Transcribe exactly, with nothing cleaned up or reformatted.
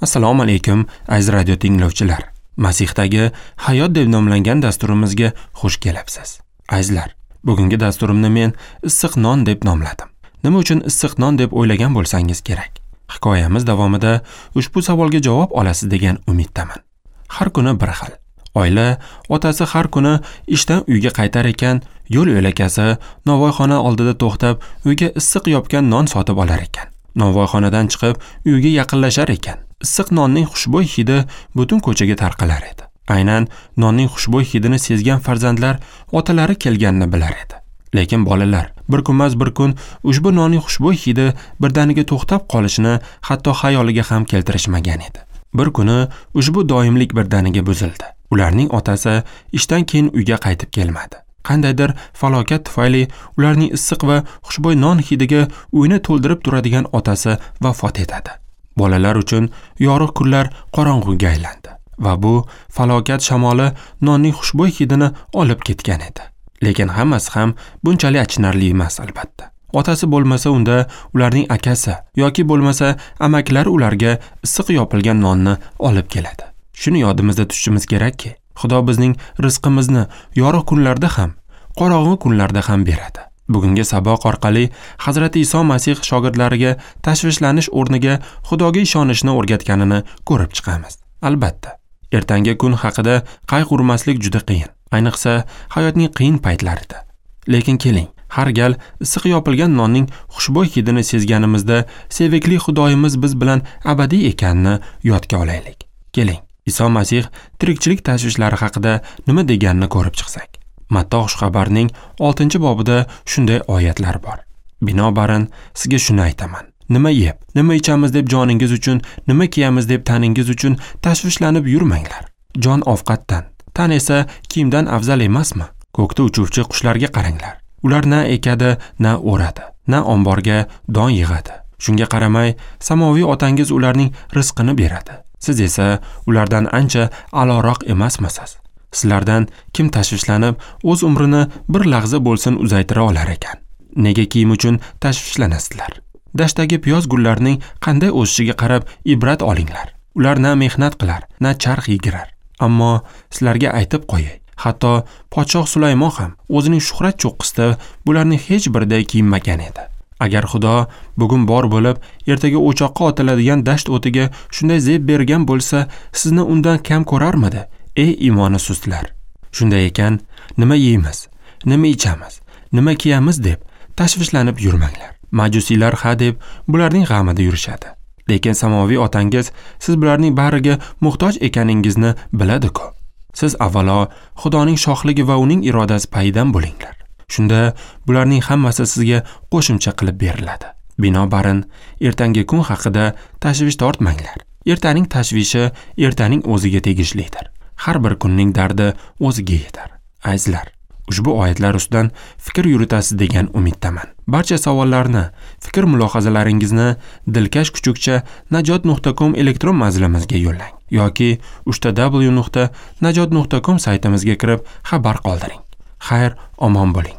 Assalomu alaykum aziz radio tinglovchilar. Masihdagi hayot deb nomlangan dasturimizga xush kelibsiz. Azizlar, bugungi dasturimni men issiq non deb nomladim. Nima uchun issiq non deb o'ylagan bo'lsangiz kerak. Hikoyamiz davomida ushbu savolga javob olasiz degan umiddaman. Har kuni bir xil. Oila otasi har kuni ishdan uyga qaytar ekan, yo'l yo'lakasi novvoyxona oldida to'xtab, uyga issiq yopgan non sotib olar ekan. Novvoyxonadan chiqib, uyga yaqinlashar ekan. Issiq nonning xushbo'y hidi butun ko'chaga tarqalar edi. Aynan nonning xushbo'y hidini sezgan farzandlar otalari kelganini bilar edi. Lekin bolalar bir kunmas bir kun ushbu nonning xushbo'y hidi birdaniga to'xtab qolishini hatto xayoliga ham keltirishmagan edi. Bir kuni ushbu doimlik birdaniga buzildi. Ularning otasi ishdan keyin uyga qaytib kelmadi. Qandaydir falokat tufayli ularning issiq va xushbo'y non hidiga uyni to'ldirib turadigan otasi vafot etadi. Bolalar uchun yorug' kunlar qorong'uga aylandi va bu falokat shamoli nonning xushbo'y hidini olib ketgan edi. Lekin hammasi ham bunchalik achinarli emas albatta. Otasi bo'lmasa unda ularning akasi yoki bo'lmasa amakilari ularga issiq yopilgan nonni olib keladi. Shuni yodimizda tutishimiz kerakki, Xudo bizning rizqimizni yorug' kunlarda ham, qorong'u kunlarda ham beradi. Bugungi saboq orqali Hazrati Iso Masih shogirdlariga tashvishlanish o'rniga Xudoga ishonishni o'rgatganini ko'rib chiqamiz. Albatta, ertangi kun haqida qayg'urmaslik juda qiyin, ayniqsa hayotning qiyin paytlarida. Lekin keling, har gal issiq yopilgan nonning xushbo'y hidini sezganimizda sevikli Xudoyimiz biz bilan abadiy ekanini yodga olaylik. Keling, Iso Masih tirikchilik tashvishlari haqida nima deganini ko'rib chiqsak. Matto xushxabarning oltinchi bobida shunday oyatlar bor. Binobarin sizga shuni aytaman. Nima yeb, nima ichamiz deb joningiz uchun, nima kiyamiz deb taningiz uchun tashvishlanib yurmanglar. Jon ovqatdan, tan esa kiyimdan afzal emasmi? Ko'kda uchuvchi qushlarga qaranglar. Ular na ekadi, na o'radi, na omborga don yig'adi. Shunga qaramay, samoviy otangiz ularning rizqini beradi. Siz esa ulardan ancha a'loroq emasmisiz? Sizlardan kim tashvishlanib, o'z umrini bir lahza bo'lsin uzaytira olar ekan? Nega kiyim uchun tashvishlanasizlar? Dashtdagi piyoz gullarining qanday o'sishiga qarab ibrat olinglar. Ular na mehnat qilar, na charx yigirar. Ammo sizlarga aytib qo'yay, hatto podshoh Sulaymon ham o'zining shuhrat cho'qqisida bularning hech biriday kiyinmagan edi. Agar Xudo bugun bor bo'lib, ertaga o'choqqa otiladigan dasht o'tiga shunday zeb bergan bo'lsa, sizni undan kam ko'rarmidi? Ey iymoni sustlar! Shunday ekan, nima yeymiz, nima ichamiz, nima kiyamiz deb tashvishlanib yurmanglar. Majusiylar ha deb bularning g'amida yurishadi. Lekin samoviy otangiz siz bularning bariga muhtoj ekaningizni biladi-ku. Siz avvalo Xudoning shohligi va uning irodasi payidan bo'linglar. Shunda bularning hammasi sizga qo'shimcha qilib beriladi. Binobarin, ertangi kun haqida tashvish tortmanglar. Ertaning tashvishi ertaning o'ziga tegishlidir. Har bir kunning dardi o'ziga yetar. Azizlar, ushbu oyatlar ustidan fikr yuritasiz degan umiddaman. Barcha savollarni, fikr mulohazalaringizni dilkash kuchukcha najot nuqta com elektron manzilimizga yo'llang yoki uchta w nuqta najot nuqta com saytimizga kirib xabar qoldiring. Xayr, omon bo'ling.